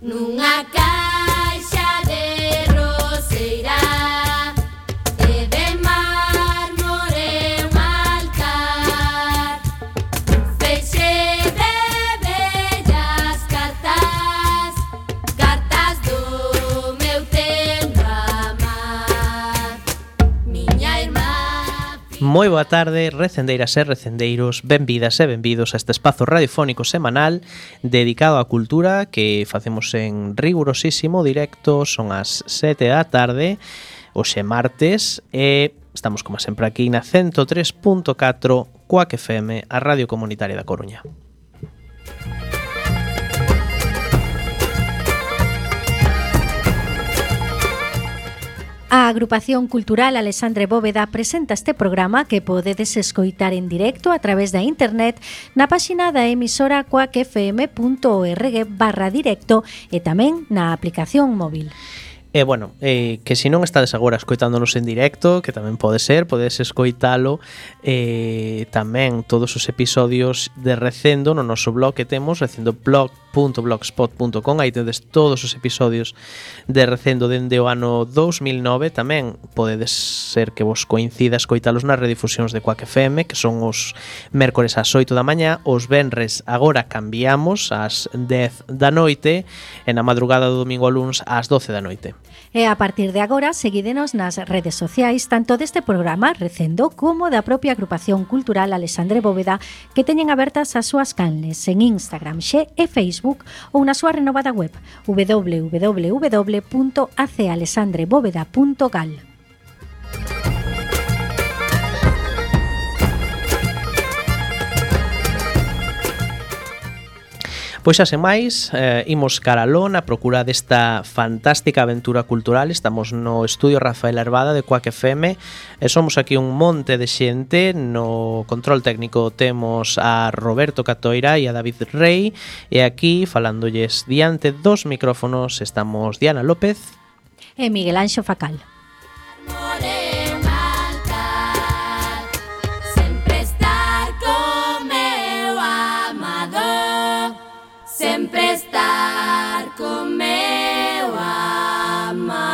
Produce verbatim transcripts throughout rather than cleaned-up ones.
Nunha caixa de roseira e de mármore un altar, feixe de bellas cartas, cartas do meu tempo amar. Miña irmá. Moi boa tarde, recendeiras e recendeiros, benvidas e benvidos a este espazo radiofónico semanal dedicado á cultura que facemos en rigurosísimo directo. Son as sete da tarde, hoxe martes, e estamos como sempre aquí na ciento tres punto catro Cuac F M, a Radio Comunitaria da Coruña. A Agrupación Cultural Alexandre Bóveda presenta este programa que podedes escoitar en directo a través da internet na páxina da emisora cuac f m punto org barra directo e tamén na aplicación móvil. E, bueno, eh, que se non estades agora escoitándonos en directo, que tamén pode ser, podedes escoitalo eh, tamén todos os episodios de Recendo no noso blog que temos, recendo blog punto blogspot punto com. Aí tedes todos os episodios de Recendo dende o ano dous mil nove. Tamén podedes ser que vos coincida escoitalos nas redifusións de Cuac F M, que son os mércores ás oito da mañá, os venres agora cambiamos ás dez da noite e na madrugada do domingo ao luns ás doce da noite. E a partir de agora, seguídenos nas redes sociais tanto deste programa Recendo como da propia Agrupación Cultural Alexandre Bóveda, que teñen abertas as súas canles en Instagram, Xe e Facebook, ou na súa renovada web w w w punto a c alexandre bóveda punto gal. Pois xa sen máis, eh, imos caraló na procura desta fantástica aventura cultural. Estamos no estudio Rafael Arbada de Cuac F M e somos aquí un monte de xente. No control técnico temos a Roberto Catoira e a David Rey, e aquí falándolles diante dos micrófonos estamos Diana López e Miguel Anxo Facal. Sempre estar con meu amar.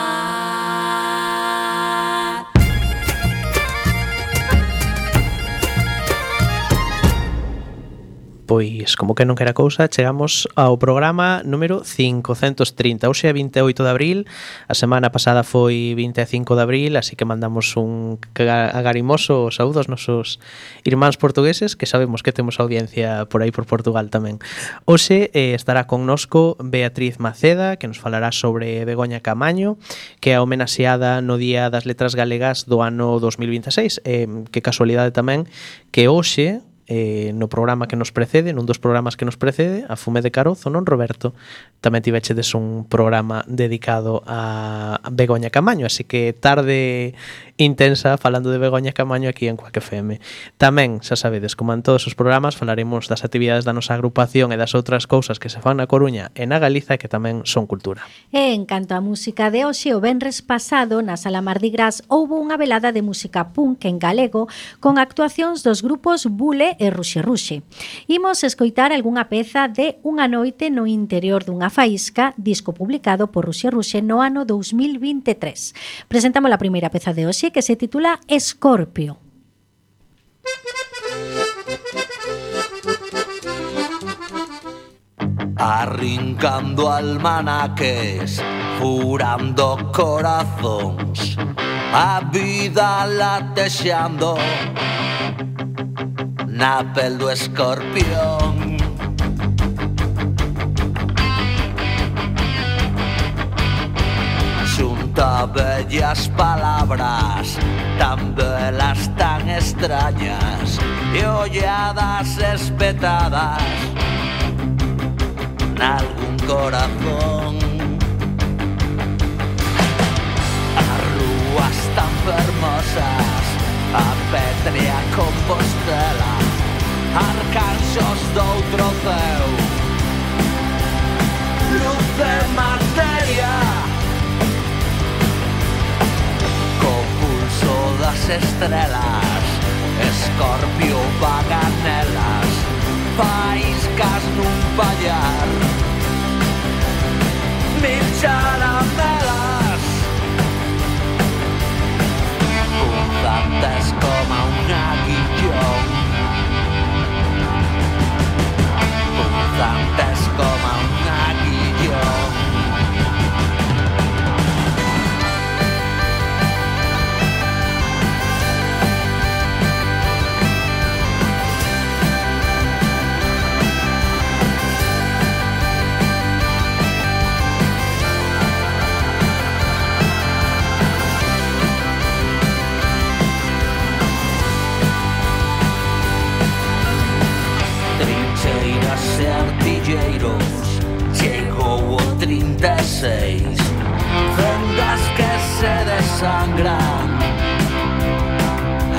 Pois, como que non quera cousa, chegamos ao programa número cincocentos trinta. Hoxe é vinte e oito de abril, a semana pasada foi vinte e cinco de abril, así que mandamos un agarimoso saúdo aos nosos irmáns portugueses, que sabemos que temos audiencia por aí por Portugal tamén. Hoxe eh, estará connosco Beatriz Maceda, que nos falará sobre Begoña Camaño, que é homenaxeada no Día das Letras Galegas do ano dos mil vinte e seis. Eh, que casualidade tamén que hoxe, Eh, no programa que nos precede, nun dos programas que nos precede, a Fume de Carozo, non, Roberto? Tamén tivechedes un programa dedicado a Begoña Camaño, así que tarde intensa falando de Begoña Camaño aquí en Cuac F M. Tamén, xa sabedes, como en todos os programas, falaremos das actividades da nosa agrupación e das outras cousas que se fan na Coruña e na Galiza que tamén son cultura. E en canto á música de hoxe, o venres pasado na Sala Mardi Gras houbo unha velada de música punk en galego con actuacións dos grupos Bule e Ruxe Ruxe. Imos escoitar algunha peza de Unha noite no interior dunha faísca, disco publicado por Ruxe Ruxe no ano dous mil vinte e tres. Presentamos a primeira peza de hoxe, que se titula Escorpio. Arrincando almanaques, furando corazóns, a vida latexando na pel do escorpión. Xunta bellas palabras, tan belas, tan extrañas, e olladas espetadas nalgún corazón. As rúas tan fermosas, a Petria Compostela, arcanxos doutro ceu, luz de materia, co pulso das estrelas, Escorpio vaga nelas, faíscas nun pallar, sangran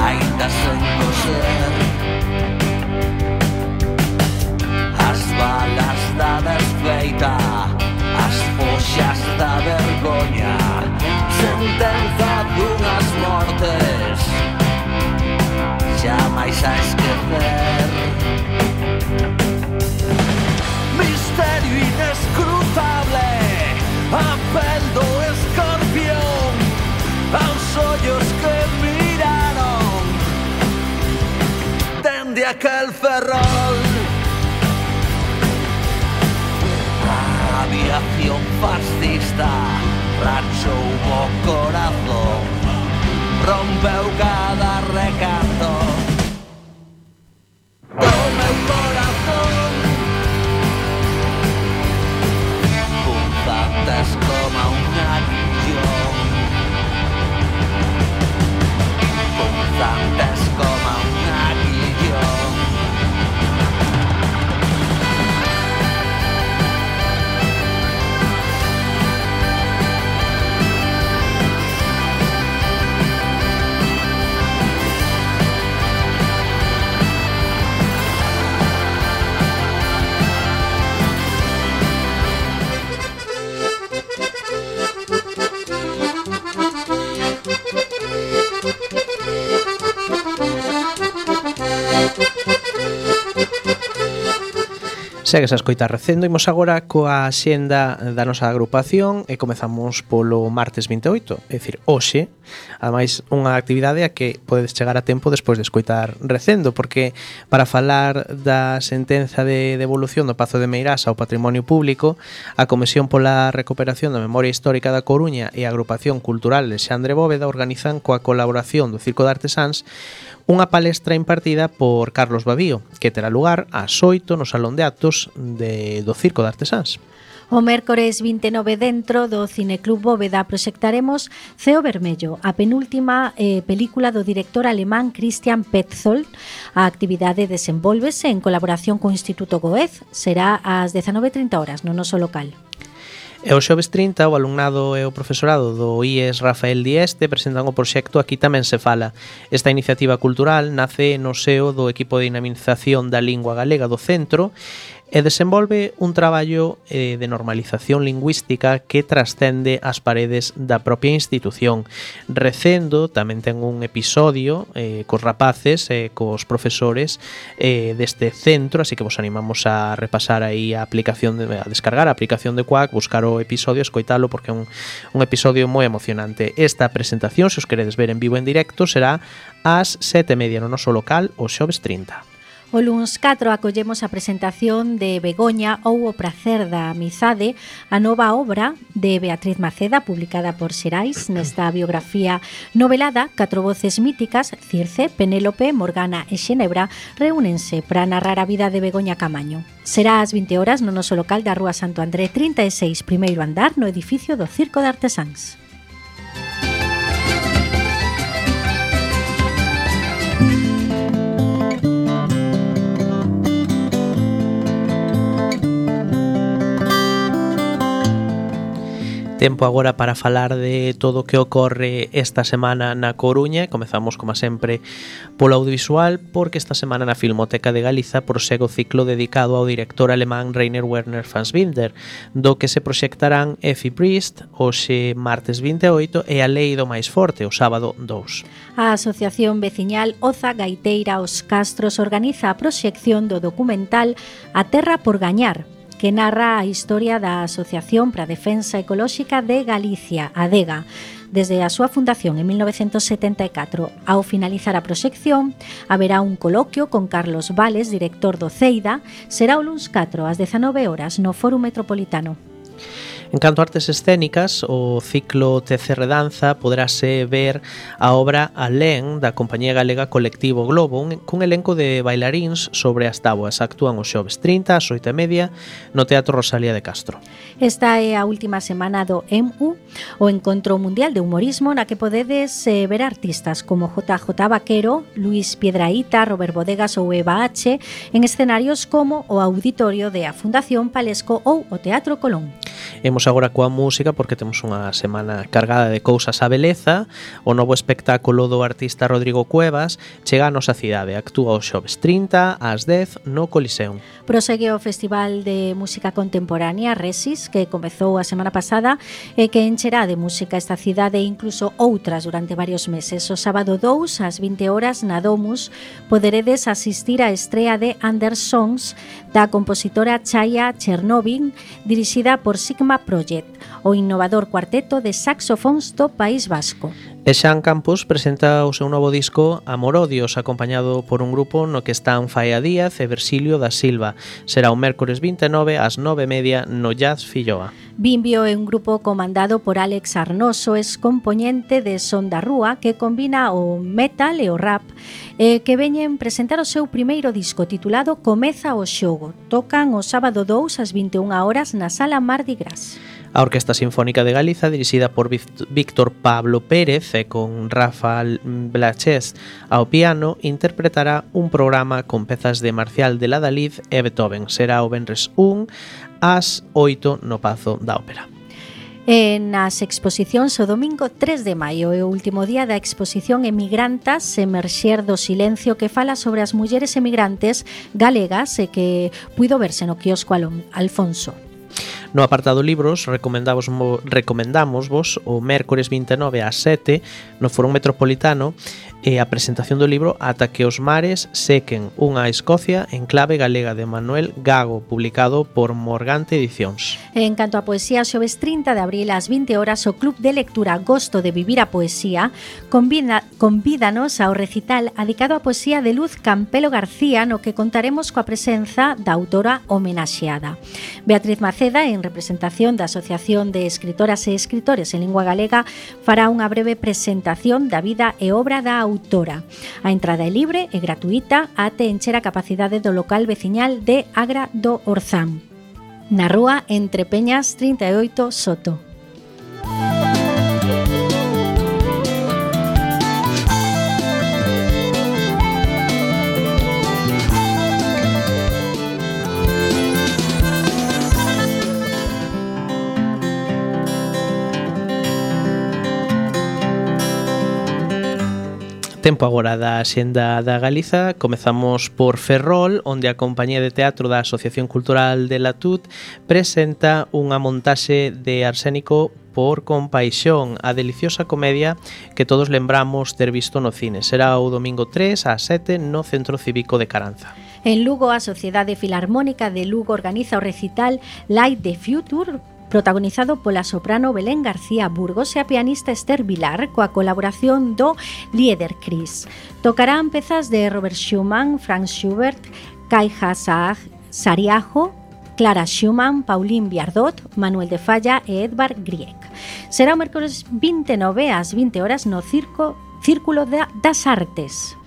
aínda sen coser. As balas da desfeita, as foxas da vergoña, sentenza dunhas mortes jamais a esquecer. Misterio inescrutable, a pel do escorpión, aos ollos que miraron dende aquel ferrol. A aviación fascista rachou o corazón, rompeu cada recanto do meu corazón. Punzantes como un aguillón, punzantes como un aguillón. Segues a escoitar Recendo. Imos agora coa xenda da nosa agrupación e comezamos polo martes vinte e oito, é dicir, hoxe. Ademais, unha actividade a que podedes chegar a tempo despois de escoitar Recendo, porque para falar da sentenza de devolución do Pazo de Meirás ao patrimonio público, a Comisión pola Recuperación da Memoria Histórica da Coruña e a Agrupación Cultural Alexandre Bóveda organizan coa colaboración do Circo de Artesáns unha palestra impartida por Carlos Babío, que terá lugar ás oito no Salón de Actos de, do Circo de Artesáns. O mércores vinte e nove dentro do Cineclub Bóveda proxectaremos Ceo Vermello, a penúltima eh, película do director alemán Christian Petzold. A actividade desenvólvese en colaboración co Instituto Goethe. Será ás dezanove e trinta horas no noso local. E o xoves trinta, o alumnado e o profesorado do I E S Rafael Dieste presentan o proxecto Aquí tamén se fala. Esta iniciativa cultural nace no seo do equipo de dinamización da lingua galega do centro e desenvolve un traballo eh, de normalización lingüística que trascende as paredes da propia institución. Recendo tamén ten un episodio eh, cos rapaces e eh, cos profesores eh, deste centro, así que vos animamos a repasar aí a aplicación de, a descargar a aplicación de Quack, buscar o episodio, escoitalo porque é un, un episodio moi emocionante. Esta presentación, se os queredes ver en vivo en directo, será ás sete e media no noso local o xoves trinta. O luns catro acollemos a presentación de Begoña ou o pracer da amizade, a nova obra de Beatriz Maceda, publicada por Xerais. Nesta biografía novelada, catro voces míticas, Circe, Penélope, Morgana e Xenebra, reúnense para narrar a vida de Begoña Camaño. Será ás vinte horas no noso local da Rúa Santo André trinta e seis, primeiro andar, no edificio do Circo de Artesáns. Tempo agora para falar de todo o que ocorre esta semana na Coruña. Comezamos, como sempre, polo audiovisual, porque esta semana na Filmoteca de Galiza prosegue o ciclo dedicado ao director alemán Rainer Werner Fassbinder, do que se proxectarán Effie Briest hoxe martes vinte e oito e A Lei do Máis Forte o sábado dous. A Asociación Veciñal Oza Gaiteira Os Castros organiza a proxección do documental A Terra por Gañar, que narra a historia da Asociación para a Defensa Ecolóxica de Galicia, ADEGA, desde a súa fundación en mil novecentos setenta e catro. Ao finalizar a proxección, haberá un coloquio con Carlos Vales, director do CEIDA. Será o luns catro ás dezanove horas no Fórum Metropolitano. En canto a artes escénicas, o ciclo T C R Danza poderase ver a obra Alén da compañía galega Colectivo Globo, un, cun elenco de bailaríns sobre as táboas. Actúan os xoves trinta ás oito e media no Teatro Rosalía de Castro. Esta é a última semana do E M U, o Encontro Mundial de Humorismo, na que podedes eh, ver artistas como J J Vaquero, Luis Piedraíta, Robert Bodegas ou Eva H en escenarios como o Auditorio de a Fundación Palesco ou o Teatro Colón. Imos agora coa música porque temos unha semana cargada de cousas á beleza. O novo espectáculo do artista Rodrigo Cuevas chega a nosa cidade. Actúa o xoves trinta ás dez no Coliseum. Prosegue o Festival de Música Contemporánea Resis, que comezou a semana pasada e que encherá de música esta cidade e incluso outras durante varios meses. O sábado dous ás vinte horas na Domus poderedes asistir á estrea de Under Songs da compositora Chaya Chernovin, dirixida por Sigma Project, o innovador cuarteto de saxofóns do País Vasco. E Xan Campos presenta o seu novo disco Amorodios, acompañado por un grupo no que están Faia Díaz e Versilio da Silva. Será o mércores vinte e nove ás nove e media no Jazz Filloa. Bimbio é un grupo comandado por Alex Arnoso, es compoñente de Son da Rúa, que combina o metal e o rap, e que veñen presentar o seu primeiro disco titulado Comeza o xogo. Tocan o sábado dous ás vinte e unha horas na Sala Mardi Gras. A Orquesta Sinfónica de Galiza, dirixida por Víctor Pablo Pérez e con Rafael Blachés ao piano, interpretará un programa con pezas de Marcial de Ladalid e Beethoven. Será o venres un ás oito no Pazo da Ópera. E nas exposicións o domingo tres de maio é o último día da exposición Emigrantas, Emerxer do Silencio, que fala sobre as mulleres emigrantes galegas e que puido verse no quiosco Alfonso. No apartado libros, recomendamos, recomendamos vos o mércores vinte e nove ás sete no Foro Metropolitano e a presentación do libro Ata que os mares sequen, unha Escocia en clave galega, de Manuel Gago, publicado por Morgante Edicións. En canto a poesía, xoves trinta de abril ás vinte horas o Club de Lectura Gosto de Vivir a Poesía convida, convídanos ao recital adicado á poesía de Luz Campelo García, no que contaremos coa presenza da autora homenaxeada. Beatriz Maceda, en representación da Asociación de Escritoras e Escritores en Lingua Galega, fará unha breve presentación da vida e obra da autora. A entrada é libre e gratuíta até encher a capacidade do local veciñal de Agra do Orzán, na rúa Entre Peñas trinta e oito Soto. Tempo agora da Xenda da Galiza. Comezamos por Ferrol, onde a Compañía de Teatro da Asociación Cultural de Latut presenta unha montaxe de Arsénico por Compaixón, a deliciosa comedia que todos lembramos ter visto no cine. Será o domingo tres ás sete no Centro Cívico de Caranza. En Lugo, a Sociedade Filarmónica de Lugo organiza o recital Light the Future, protagonizado pola soprano Belén García Burgos e a pianista Esther Vilar, coa colaboración do Lieder Chris. Tocarán pezas de Robert Schumann, Franz Schubert, Kai Sariajo, Clara Schumann, Pauline Viardot, Manuel de Falla e Edvard Grieg. Será o mércores vinte e nove ás vinte horas no Circo Círculo das Artes.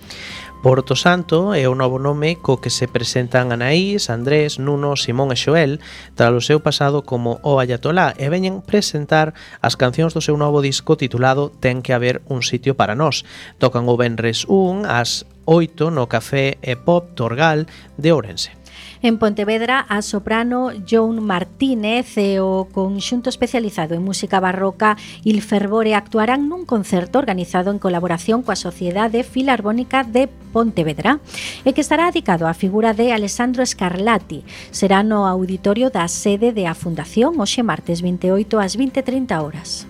Porto Santo é o novo nome co que se presentan Anaís, Andrés, Nuno, Simón e Xoel tras o seu pasado como o Ayatolá, e veñen presentar as cancións do seu novo disco titulado Ten que haber un sitio para nós. Tocan o venres un ás oito no Café e Pop Torgal de Ourense. En Pontevedra, a soprano Joan Martínez e o conxunto especializado en música barroca Il Fervore actuarán nun concerto organizado en colaboración coa Sociedade Filarmónica de Pontevedra e que estará dedicado á figura de Alessandro Scarlatti. Será no auditorio da sede de a Fundación hoxe martes vinte e oito ás vinte e trinta horas.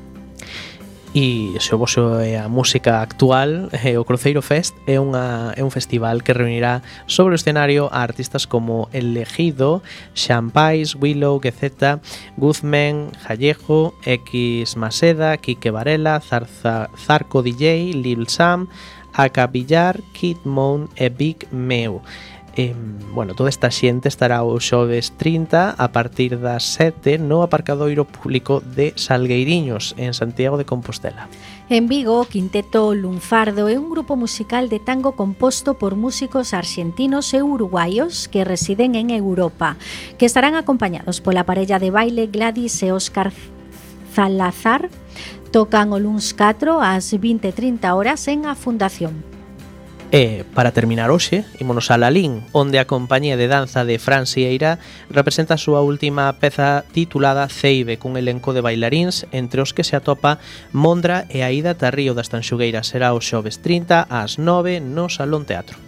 E se o voso é a música actual, o Cruceiro Fest é, unha, é un festival que reunirá sobre o escenario a artistas como El Ejido, Xampais, Willow, Gezeta, Guzmán, Jallejo, X Maseda, Quique Varela, Zarza, Zarco D J, Lil Sam, Aka Villar, Kid Moon e Big Meu. Eh, bueno, toda esta xente estará o xoves trinta a partir das sete no aparcadoiro público de Salgueiriños, en Santiago de Compostela. En Vigo, o Quinteto Lunfardo é un grupo musical de tango composto por músicos arxentinos e uruguaios que residen en Europa, que estarán acompañados pola parella de baile Gladys e Óscar Zalazar. Tocan o luns catro ás vinte e trinta horas en a Fundación. E, para terminar hoxe, ímonos a Lalín, onde a compañía de danza de Fran Sieira representa a súa última peza titulada Ceibe, cun elenco de bailaríns, entre os que se atopa Mondra e Aida Tarrío das Tanxugueiras. Será o xoves trinta ás nove no Salón Teatro.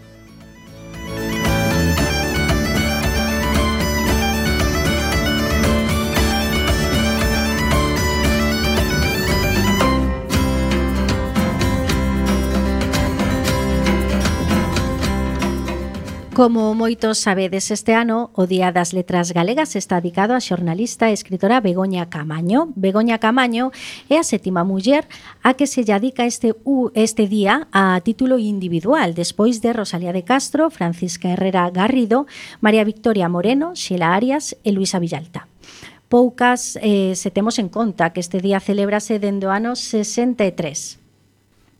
Como moitos sabedes, este ano o Día das Letras Galegas está dedicado á xornalista e escritora Begoña Camaño. Begoña Camaño é a sétima muller a que se lle dedica este, este día a título individual, despois de Rosalía de Castro, Francisca Herrera Garrido, María Victoria Moreno, Xela Arias e Luisa Villalta. Poucas eh, se temos en conta que este día celébrase dende o ano sesenta e tres.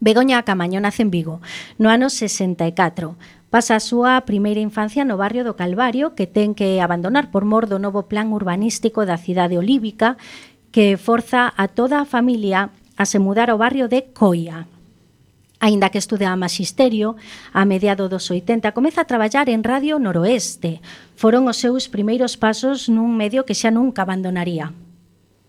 Begoña Camaño nace en Vigo no ano sesenta e catro. Pasa a súa primeira infancia no barrio do Calvario, que ten que abandonar por mor do novo plan urbanístico da cidade olívica, que forza a toda a familia a se mudar ao barrio de Coia. Aínda que estuda magisterio, a mediado dos oitenta comeza a traballar en Radio Noroeste. Foron os seus primeiros pasos nun medio que xa nunca abandonaría.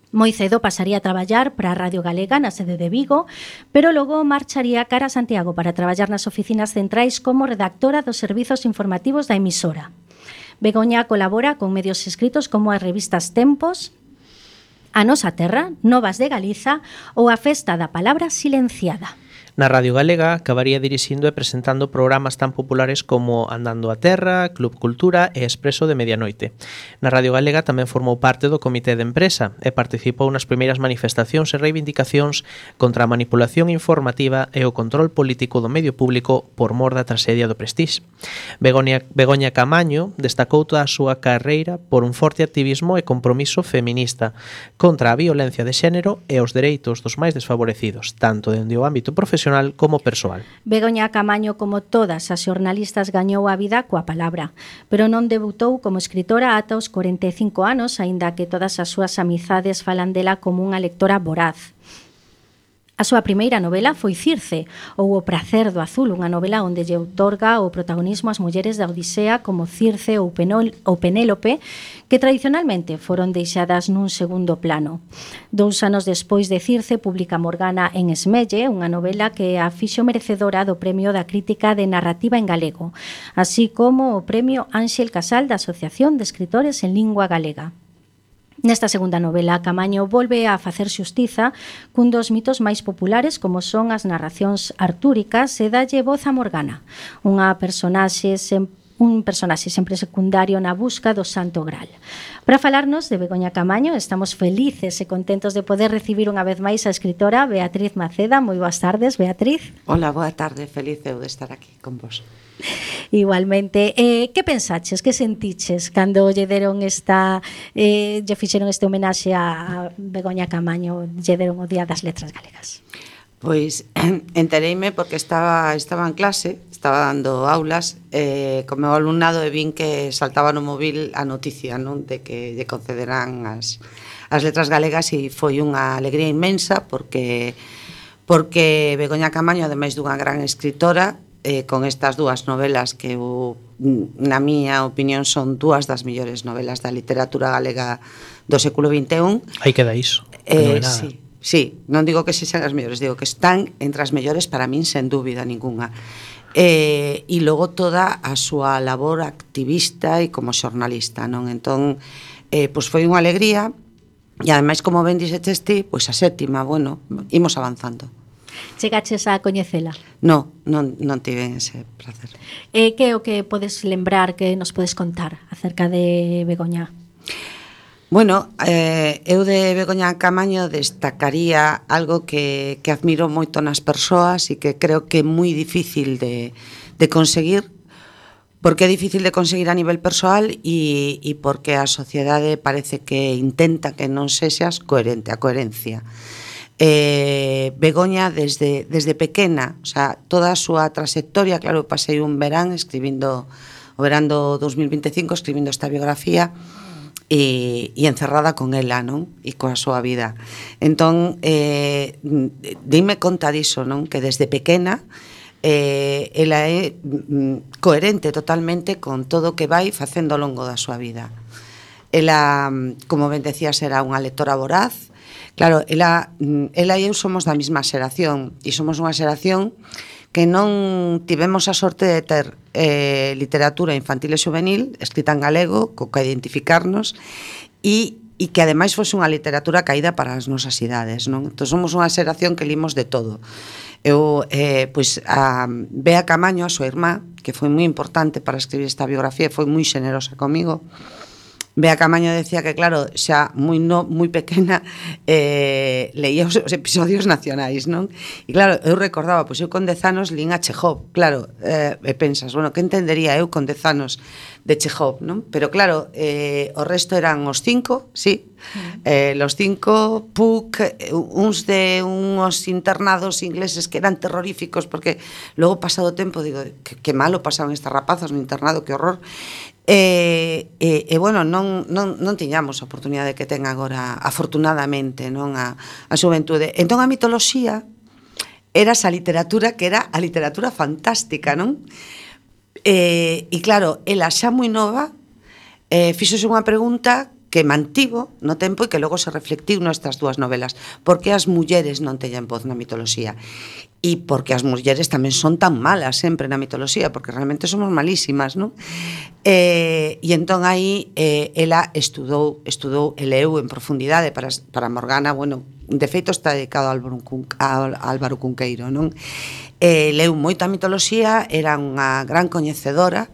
Moi cedo pasaría a traballar para a Radio Galega na sede de Vigo, pero logo marcharía cara a Santiago para traballar nas oficinas centrais como redactora dos servizos informativos da emisora. Begoña colabora con medios escritos como as revistas Tempos, A Nosa Terra, Novas de Galiza ou a Festa da Palabra Silenciada. Na Radio Galega acabaría dirixindo e presentando programas tan populares como Andando a Terra, Club Cultura e Expreso de Medianoite. Na Radio Galega tamén formou parte do Comité de Empresa e participou nas primeiras manifestacións e reivindicacións contra a manipulación informativa e o control político do medio público por mor da traxedia do Prestige. Begoña, Begoña Camaño destacou toda a súa carreira por un forte activismo e compromiso feminista contra a violencia de xénero e os dereitos dos máis desfavorecidos, tanto dende o ámbito profesional como persoal. Begoña Camaño, como todas as xornalistas, gañou a vida coa palabra, pero non debutou como escritora ata os corenta e cinco anos, aínda que todas as súas amizades falan dela como unha lectora voraz. A súa primeira novela foi Circe, ou O prazer do azul, unha novela onde lle outorga o protagonismo ás mulleres da Odisea como Circe ou, Penol, ou Penélope, que tradicionalmente foron deixadas nun segundo plano. Dous anos despois de Circe publica Morgana en Esmelle, unha novela que a fixo merecedora do Premio da Crítica de Narrativa en Galego, así como o Premio Ánxel Casal da Asociación de Escritores en Lingua Galega. Nesta segunda novela, Camaño volve a facer xustiza cun dos mitos máis populares como son as narracións artúricas e dalle voz a Morgana, unha personaxe sempre un personaxe sempre secundario na busca do Santo Graal. Para falarnos de Begoña Camaño, estamos felices e contentos de poder recibir unha vez máis a escritora Beatriz Maceda. Moi boas tardes, Beatriz. Hola, boa tarde, feliz eu de estar aquí con vos. Igualmente, eh, que pensaches, que sentiches cando lle deron esta eh, lle fixeron este homenaxe a Begoña Camaño, lle deron o Día das Letras Galegas? Pois entereime porque estaba estaba en clase, estaba dando aulas eh, co meu alumnado e vin que saltaba no móvil a noticia, non, de que lle concederán as, as letras galegas, e foi unha alegría inmensa porque porque Begoña Camaño, ademais dunha gran escritora, eh, con estas dúas novelas que eu, na miña opinión son dúas das mellores novelas da literatura galega do século vinte e un. Aí queda iso. Eh, no sí. Sí, non digo que sexan as mellores, digo que están entre as mellores para min, sen dúbida ningunha. Eh, e logo toda a súa labor activista e como xornalista, non? Entón, eh, pois foi unha alegría, e ademais, como ben dixeches ti, pois a sétima, bueno, imos avanzando. Chegaches a coñecela? No, non, non tive ese placer. E que é o que podes lembrar, que nos podes contar acerca de Begoña? Bueno, eh, eu de Begoña Camaño destacaría algo que, que admiro moito nas persoas e que creo que é moi difícil de, de conseguir, porque é difícil de conseguir a nivel persoal e, e porque a sociedade parece que intenta que non sexas coherente, a coherencia. Eh, Begoña desde, desde pequena, o sea, toda a súa trayectoria, claro, pasei un verán escribindo, o verán do dos mil vinte e cinco escribindo esta biografía, E, e encerrada con ela, non? E coa súa vida. Entón, eh, dime conta diso, non? Que desde pequena eh, ela é mm, coherente totalmente con todo o que vai facendo ao longo da súa vida. Ela, como ben decías, era unha lectora voraz. Claro, ela, ela e eu somos da mesma xeración, e somos unha xeración que non tivemos a sorte de ter eh, literatura infantil e juvenil escrita en galego, co que identificarnos, e, e que ademais fose unha literatura caída para as nosas idades, non? Entón somos unha xeración que limos de todo. Eu, eh, pois, a Bea Camaño, a súa irmá, que foi moi importante para escribir esta biografía, foi moi xenerosa comigo. Bea Camaño decía que, claro, xa moi no, moi pequena eh, leía os, os episodios nacionais, non? E claro, eu recordaba, pois eu con dez anos lín a Chekhov, claro, eh, e pensas, bueno, que entendería eu con dez anos de Chekhov, non? Pero claro, eh, o resto eran os cinco, sí, eh, los cinco, Puck, uns de uns internados ingleses que eran terroríficos, porque logo pasado o tempo, digo, que, que malo pasaban estas rapazas no internado, que horror. E, e, e bueno, non, non, non tiñamos a oportunidade que ten agora, afortunadamente, non a, a xuventude. Entón a mitoloxía era esa literatura que era a literatura fantástica, non? E, e claro, ela xa moi nova eh, fixose unha pregunta que mantivo no tempo e que logo se reflectiu nestas dúas novelas. Por que as mulleres non teñen voz na mitoloxía? E porque as mulleres tamén son tan malas sempre na mitoloxía, porque realmente somos malísimas, non? E, e entón aí eh, ela estudou, estudou e leu en profundidade para, para Morgana, bueno, de feito está dedicado a Álvaro, Cun, a Álvaro Cunqueiro, non? E leu moita mitoloxía, era unha gran coñecedora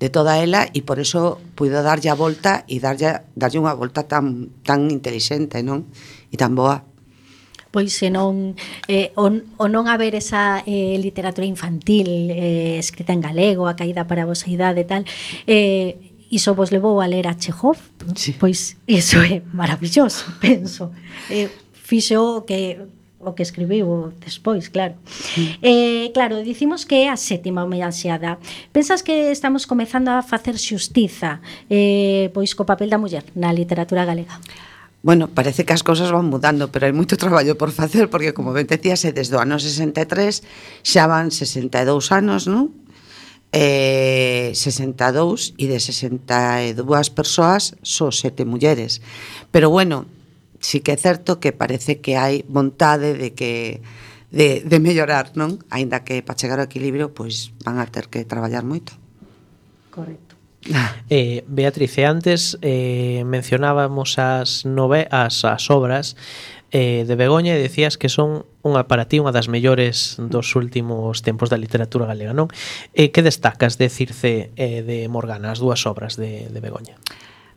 de toda ela e por eso puido darlle a volta e darlle, darlle unha volta tan, tan intelixente, non? E tan boa. Pois se non eh, o, o non haber esa eh, literatura infantil eh, escrita en galego, a caída para a vosa idade e tal, eh, iso vos levou a ler a Chekhov, sí. Pois iso é maravilloso, penso. Eh, fixo que o que escribiu despois, claro. Sí. Eh, claro, dicimos que é a sétima homenaxeada. Pensas que estamos comezando a facer xustiza eh, pois co papel da muller na literatura galega? Bueno, parece que as cousas van mudando, pero hai moito traballo por facer, porque, como ben decías, desde o ano sesenta e tres xa van sesenta e dous anos, non? Eh, sesenta e dous, e de sesenta e dúas persoas só sete mulleres. Pero, bueno, sí que é certo que parece que hai vontade de que de, de mellorar, non? Aínda que para chegar ao equilibrio, pois van a ter que traballar moito. Correcto. Eh, Beatriz, antes eh, mencionábamos as, nove, as, as obras eh, de Begoña e decías que son unha, para ti unha das mellores dos últimos tempos da literatura galega, non? Eh, que destacas de Circe e eh, de Morgana, as dúas obras de, de Begoña?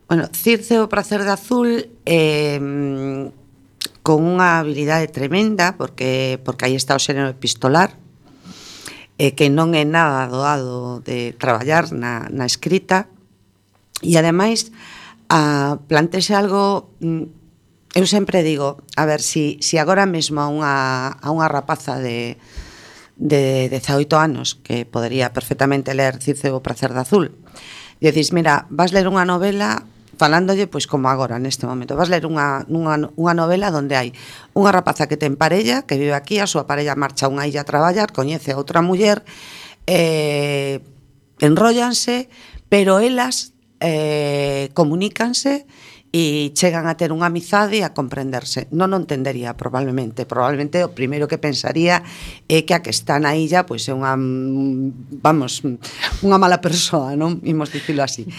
Bueno, Circe o prazer de azul eh, con unha habilidade tremenda, porque, porque aí está o xénero epistolar, eh, que non é nada doado de traballar na, na escrita, e ademais a, plantexe algo, eu sempre digo, a ver, si, si agora mesmo a unha, a unha rapaza de, de dezaoito anos que podería perfectamente ler Circe o prazer de azul, e dices, mira, vas ler unha novela falándolle, pois como agora, neste momento, vas ler unha, unha, unha novela onde hai unha rapaza que ten parella, que vive aquí, a súa parella marcha a unha illa a traballar, coñece a outra muller, eh, enróllanse, pero elas eh, comunícanse e chegan a ter unha amizade e a comprenderse. Non o entendería, probablemente. Probablemente o primeiro que pensaría é que a que está na illa pois é unha, vamos, unha mala persoa, non? Imos dicilo así.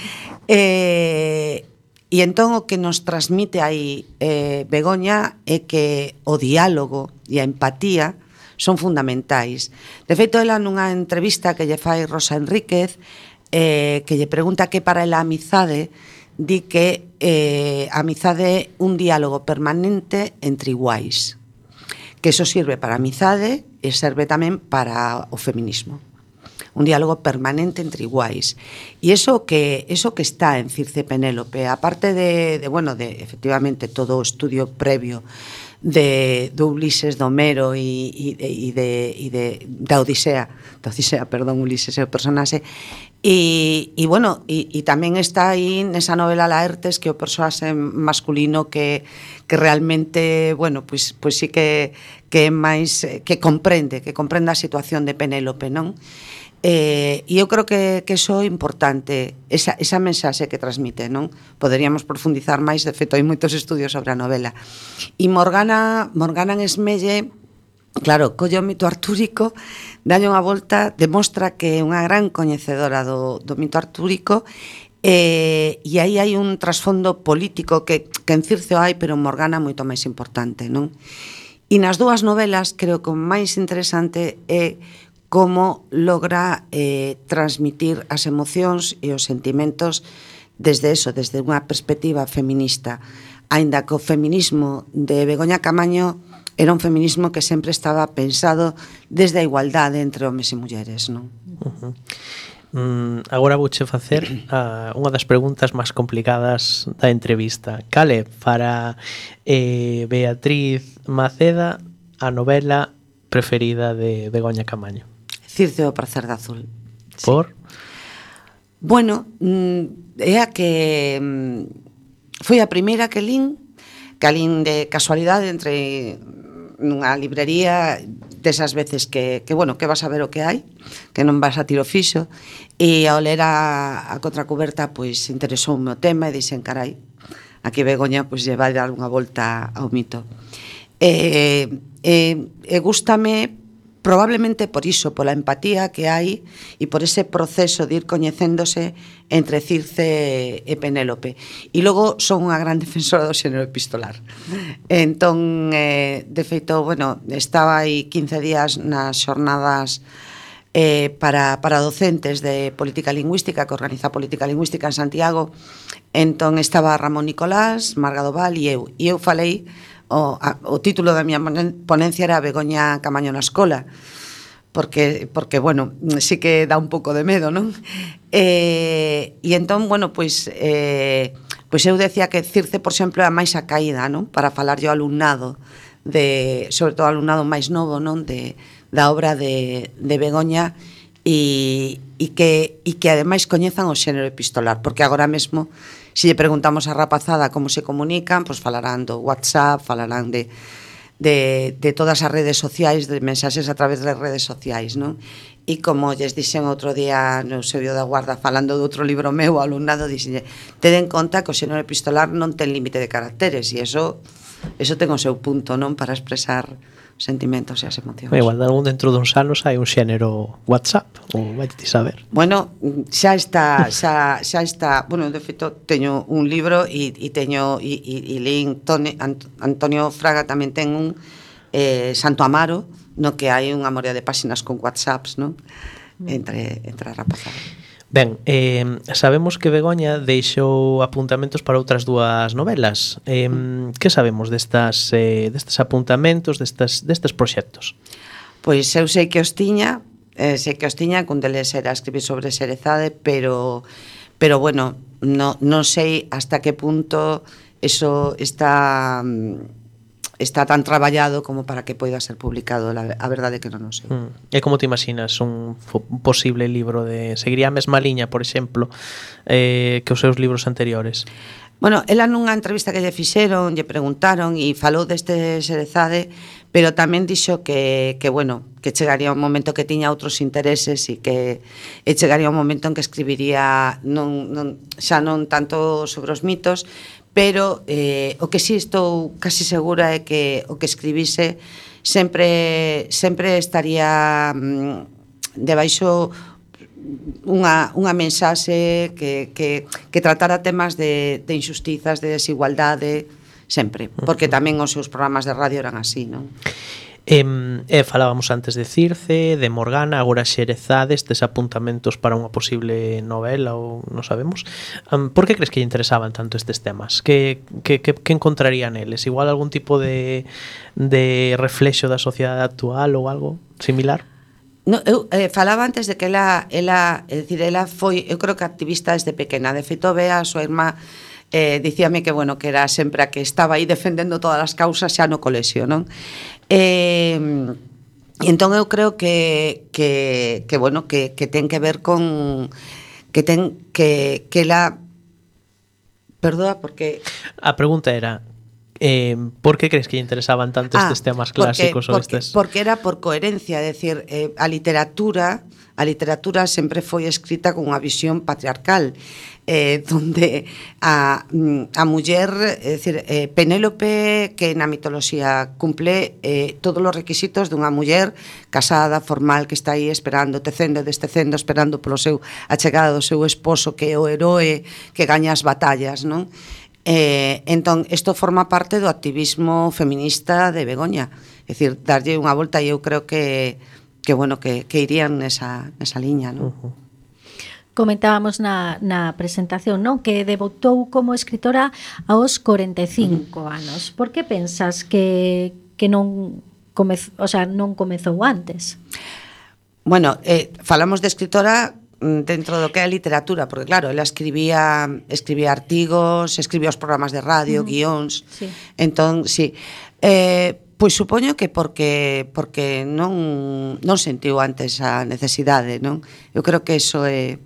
Eh, e entón o que nos transmite aí eh, Begoña é que o diálogo e a empatía son fundamentais. De feito, ela nunha entrevista que lle fai Rosa Enríquez, eh, que lle pregunta que para ela a amizade, di que eh, a amizade é un diálogo permanente entre iguais, que eso sirve para a amizade e serve tamén para o feminismo, un diálogo permanente entre iguais. E iso que, eso que está en Circe Penélope, aparte de, de, bueno, de efectivamente todo o estudio previo de, de Ulises, de Homero e, e, e, de, e de, da Odisea, da Odisea, perdón, Ulises é o personaxe, E, e bueno, e, e tamén está aí nesa novela Laertes que o persoaxe masculino que, que realmente, bueno, pois, pois sí que, que é máis, que comprende, que comprende a situación de Penélope, non? Eh, e eu creo que, que iso é importante, esa, esa mensaxe que transmite, non? Poderíamos profundizar máis, de feito hai moitos estudios sobre a novela. E Morgana, Morgana en Esmelle, claro, colle o mito artúrico, dalle unha volta, demostra que é unha gran coñecedora do, do mito artúrico, eh, e aí hai un trasfondo político que, que en Circe o hai, pero en Morgana moito máis importante, non? E nas dúas novelas, creo que o máis interesante é como logra eh, transmitir as emocións e os sentimentos desde eso, desde unha perspectiva feminista, aínda que o feminismo de Begoña Camaño era un feminismo que sempre estaba pensado desde a igualdade entre homes e mulleres, non? Uh-huh. Mm, agora vouche facer uh, unha das preguntas máis complicadas da entrevista. Cal é para eh, Beatriz Maceda a novela preferida de Begoña Camaño? Circe o prazer de azul. Por? Sí. Bueno, é a que foi a primeira que lín, que alín de casualidade entre nunha librería desas veces que, que, bueno, que vas a ver o que hai, que non vas a tiro fixo, e ao ler a, a contracuberta, pois, interesoume o tema e dixen, carai, aquí Begoña, pois, lle vai dar unha volta ao mito. E, e, e gústame probablemente por iso, pola empatía que hai e por ese proceso de ir coñecéndose entre Circe e Penélope. E logo son unha gran defensora do xénero epistolar. Entón, eh, de feito, bueno, estaba aí quince días nas xornadas eh, para, para docentes de política lingüística, que organiza política lingüística en Santiago. Entón estaba Ramón Nicolás, Marga Doval e eu. E eu falei, O, a, o título da miña ponencia era Begoña Camaño na escola, porque, porque bueno, sí que dá un pouco de medo, non? E, e entón, bueno, pois, eh, pois eu decía que Circe, por exemplo, é a máis acaída, non? Para falar yo ao alumnado, de, sobre todo ao alumnado máis novo, non? De, da obra de, de Begoña, e, e, que, e que ademais coñezan o xénero epistolar, porque agora mesmo, se lle preguntamos a rapazada como se comunican, pois falarán do WhatsApp, falarán de, de, de todas as redes sociais, de mensaxes a través das redes sociais, non? E como lles dixen outro día no Eusebio da Guarda, falando de outro libro meu, ao alumnado, dixen, ten en conta que o xénero epistolar non ten límite de caracteres, e eso, eso ten o seu punto, non? Para expresar sentimentos e as emocións. Igual, de algún dentro duns anos hai un xénero WhatsApp, ou vai ti saber. Bueno, xa está, xa, xa está, bueno, de feito teño un libro e, e teño e, e, e lín Tone, Antonio Fraga tamén ten un eh, Santo Amaro, no que hai unha morea de páxinas con WhatsApps, non? Entre, entre a rapazada. Ben, eh, sabemos que Begoña deixou apuntamentos para outras dúas novelas. Eh, que sabemos destas, eh, destes apuntamentos, destas, destes proxectos? Pois eu sei que os tiña, eh, sei que os tiña, cun deles era escribir sobre Xerezade, pero, pero bueno, no, non sei hasta que punto eso está... está tan traballado como para que poida ser publicado, la, a verdade que non o sei. Mm. E como te imaginas un, un posible libro de... Seguiría a mesma liña, por exemplo, eh, que os seus libros anteriores? Bueno, ela nunha entrevista que lle fixeron, lle preguntaron e falou deste Xerezade, pero tamén dixo que, que bueno, que chegaría un momento que tiña outros intereses e que e chegaría un momento en que escribiría non, non, xa non tanto sobre os mitos, pero eh, o que si estou casi segura é que o que escribise sempre sempre estaría mm, debaixo unha, unha mensaxe que, que, que tratara temas de, de injustizas, de desigualdade, sempre, porque tamén os seus programas de radio eran así, non? Eh, eh, falábamos antes de Circe, de Morgana, agora Xerezade, estes apuntamentos para unha posible novela ou non sabemos. Um, por que crees que lle interesaban tanto estes temas? Que, que, que, que encontrarían eles? Igual algún tipo de, de reflexo da sociedade actual ou algo similar? No, eu eh, falaba antes de que ela, ela, é dicir, ela foi, eu creo que activista desde pequena. De feito, Bea, a súa irmá, eh, dicíame que, bueno, que era sempre a que estaba aí defendendo todas as causas xa no colexio, non? Eh, e entón eu creo que, que, que bueno, que, que ten que ver con que ten que, que la... Perdoa, porque... A pregunta era, eh, por que crees que lle interesaban tanto ah, estes temas clásicos? Porque, ou porque, estes... porque era por coherencia, é dicir, eh, a literatura a literatura sempre foi escrita con unha visión patriarcal, eh, donde a, a muller, é dicir, eh, Penélope, que na mitoloxía cumple eh, todos os requisitos dunha muller casada, formal, que está aí esperando, tecendo, destecendo, esperando polo seu a chegada do seu esposo, que é o heroe que gaña as batallas, non? Eh, entón, isto forma parte do activismo feminista de Begoña, é dicir, darlle unha volta, e eu creo que que bueno, que, que irían nesa, nesa liña, non? Uh-huh. Comentábamos na, na presentación, non? Que debutou como escritora aos corenta e cinco uh-huh. anos. Por que pensas que, que non, comez, o sea, non comezou antes? Bueno, eh, falamos de escritora dentro do que é a literatura, porque claro, ela escribía escribía artigos, escribía os programas de radio, uh-huh. guións. Sí. Entón, sí. Eh, Pois supoño que porque porque non non sentiu antes a necesidade, non? Eu creo que eso é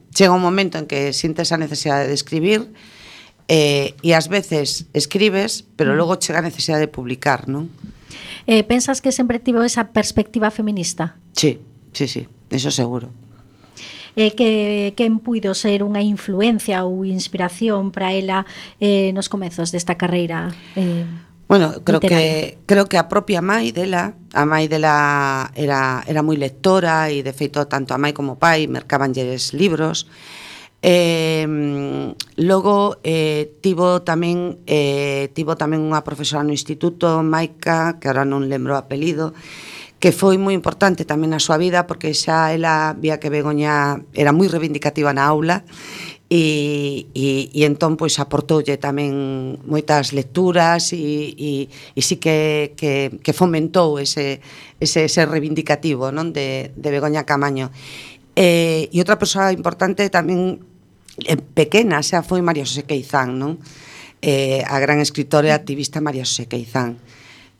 chega un momento en que sintes a necesidade de escribir eh, e ás veces escribes, pero logo chega a necesidade de publicar, non? Eh, pensas que sempre tivo esa perspectiva feminista? Sí, sí, sí, eso seguro. Eh, que quen puido ser unha influencia ou inspiración para ela eh, nos comezos desta carreira? Eh, Bueno, creo literaria. que creo que a propia mai dela, a mai dela era era moi lectora e de feito tanto a mai como o pai mercabanlles libros. Eh, logo eh, tivo tamén eh, tivo tamén unha profesora no instituto, Maica, que agora non lembro o apelido, que foi moi importante tamén na súa vida porque xa ela vía que Begoña era moi reivindicativa na aula. E, e, e entón pois aportoulle tamén moitas lecturas e, e, e sí que, que, que fomentou ese, ese, ese reivindicativo, non, de, de Begoña Camaño. E, e outra persoa importante tamén eh, pequena xa foi María Xosé Queizán, non? Eh, a gran escritora e activista María Xosé Queizán.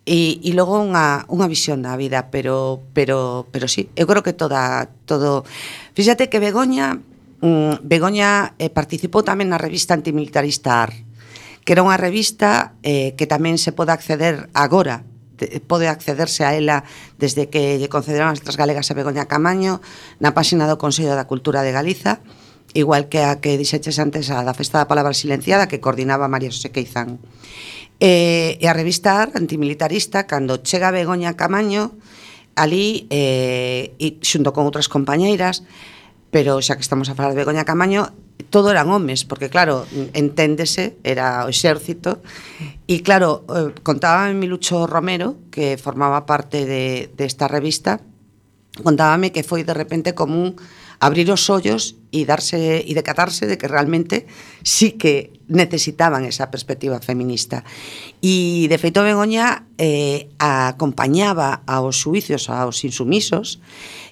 E, e logo unha, unha visión da vida, pero, pero, pero sí, eu creo que toda, todo... Fíxate que Begoña Begoña eh, participou tamén na revista antimilitarista A R, que era unha revista eh, que tamén se pode acceder agora, de, pode accederse a ela desde que lle concederon as letras galegas a Begoña Camaño na páxina do Consello da Cultura de Galiza, igual que a que dixeches antes a da Festa da Palabra Silenciada, que coordinaba María Xosé Queizán. E, e a revista A R, antimilitarista, cando chega Begoña Camaño, ali, eh, e xunto con outras compañeiras, pero xa que estamos a falar de Begoña Camaño, todo eran homes, porque claro, enténdese, era o exército, e claro, eh, contábame Milucho Romero, que formaba parte de, de esta revista, contábame que foi de repente como un abrir os ollos e darse e decatarse de que realmente sí que necesitaban esa perspectiva feminista. E de feito Begoña eh, acompañaba aos xuicios aos insumisos.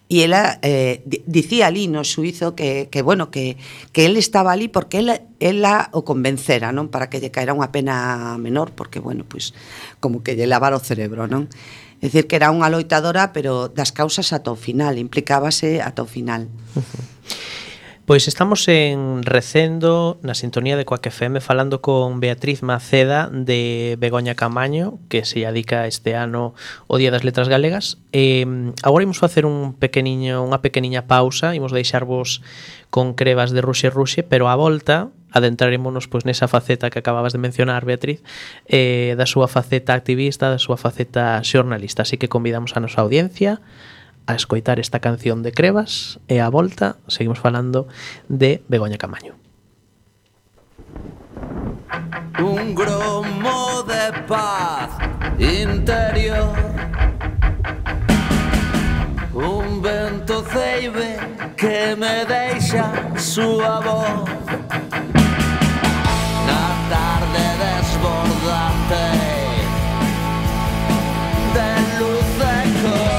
E ela eh, dicía ali no xuízo que, que bueno, que, que él estaba ali porque ela, ela o convencera, non? Para que lle caera unha pena menor, porque, bueno, pois, como que lle lavara o cerebro, non? É dicir, que era unha loitadora, pero das causas ata o final, implicábase ata o final. Uh-huh. Pois estamos en Recendo, na sintonía de Coac F M, falando con Beatriz Maceda de Begoña Camaño, que se dedica este ano o Día das Letras Galegas. E agora imos facer un pequeniño, unha pequeniña pausa, imos deixarvos con Crevas de Ruxe Ruxe, pero á volta adentrarémonos pois nesa faceta que acababas de mencionar, Beatriz, eh, da súa faceta activista, da súa faceta xornalista. Así que convidamos a nosa audiencia a escoitar esta canción de Crevas e a volta seguimos falando de Begoña Camaño. Un gromo de paz interior, un vento ceibe que me deixa súa voz na tarde desbordante de luz e cor.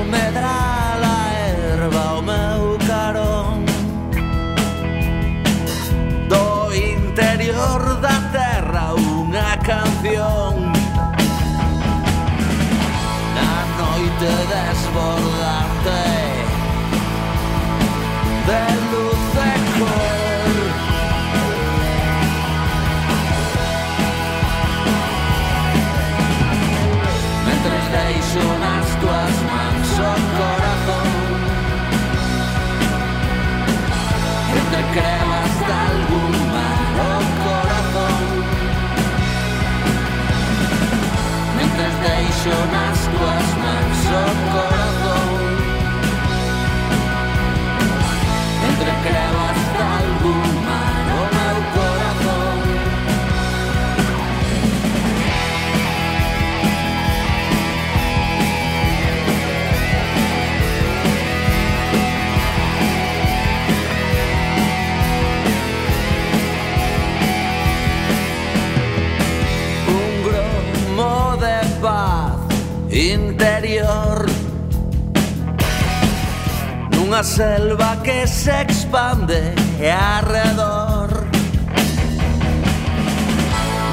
Medrar a erva ao meu carón, canción. Na noite desbordante de luz e cor. Mentres deixo nas tuas mans o corazón, entre crevas de algún mar o corazón. Mentres deixo nas tuas mans o corazón, entre crevas de algún mar o meu corazón. Un gromo de paz interior nunha selva que se expande arredor.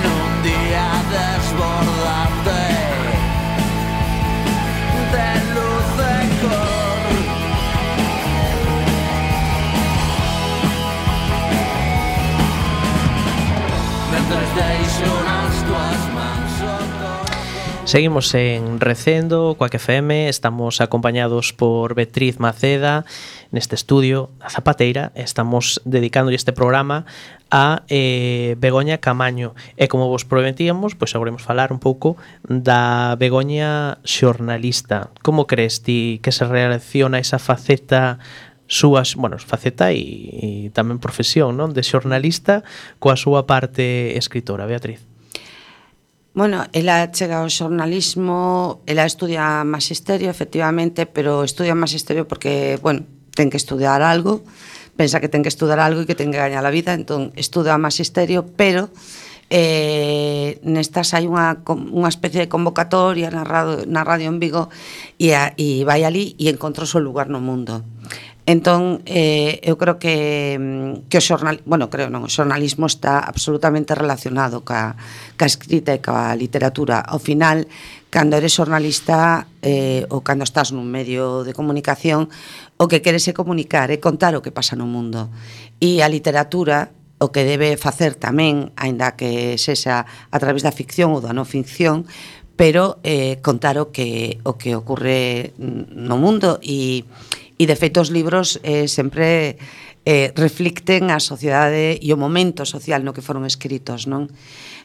Nun día desbordante de luz e cor. Mentres deixo nas tuas mans o corazón. Seguimos en Recendo, Coac F M, estamos acompañados por Beatriz Maceda neste estudio da Zapateira. Estamos dedicando este programa a eh, Begoña Camaño e como vos prometíamos, pois agora imos falar un pouco da Begoña xornalista. Como crees ti que se relaciona esa faceta súas, bueno, faceta e, e tamén profesión, non, de xornalista coa súa parte escritora, Beatriz? Bueno, ela chega ao xornalismo, ela estudia magisterio, efectivamente, pero estudia magisterio porque, bueno, ten que estudiar algo, pensa que ten que estudar algo e que ten que gañar a vida, entón estuda magisterio, pero eh, nestas hai unha, unha especie de convocatoria na radio, na radio en Vigo e, a, e vai ali e encontrou o seu lugar no mundo. Entón, eh, eu creo que, que o xornal, bueno, creo non, o xornalismo está absolutamente relacionado ca, ca escrita e ca literatura. Ao final, cando eres xornalista eh, ou cando estás nun medio de comunicación, o que queres é comunicar, é contar o que pasa no mundo. E a literatura, o que debe facer tamén, aínda que sexa a través da ficción ou da non ficción, pero eh, contar o que, o que ocurre no mundo e E, de feito, os libros eh, sempre eh, reflicten a sociedade e o momento social no que foron escritos, non?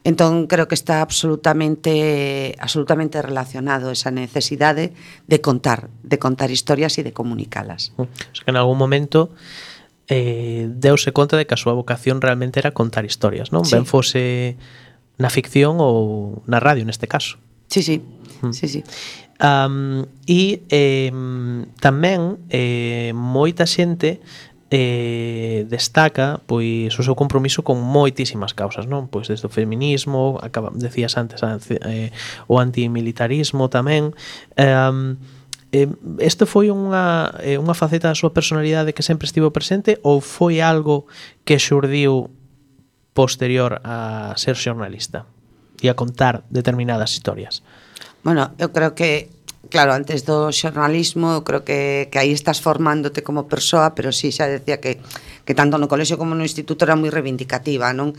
Entón, creo que está absolutamente absolutamente relacionado esa necesidade de contar, de contar historias e de comunicalas. O sea, que en algún momento eh, deuse conta de que a súa vocación realmente era contar historias, non? Sí. Ben fose na ficción ou na radio, neste caso. Sí, sí, mm. sí, sí. Um, e eh, tamén eh, moita xente eh, destaca pois o seu compromiso con moitísimas causas, non? Pois desde o feminismo, acaba, decías antes eh, o antimilitarismo tamén. Um, eh, isto foi unha, eh, unha faceta da súa personalidade que sempre estivo presente ou foi algo que xurdiu posterior a ser xornalista e a contar determinadas historias? Bueno, eu creo que, claro, antes do xornalismo, eu creo que, que aí estás formándote como persoa, pero sí, xa decía que, que tanto no colexio como no instituto era moi reivindicativa, non?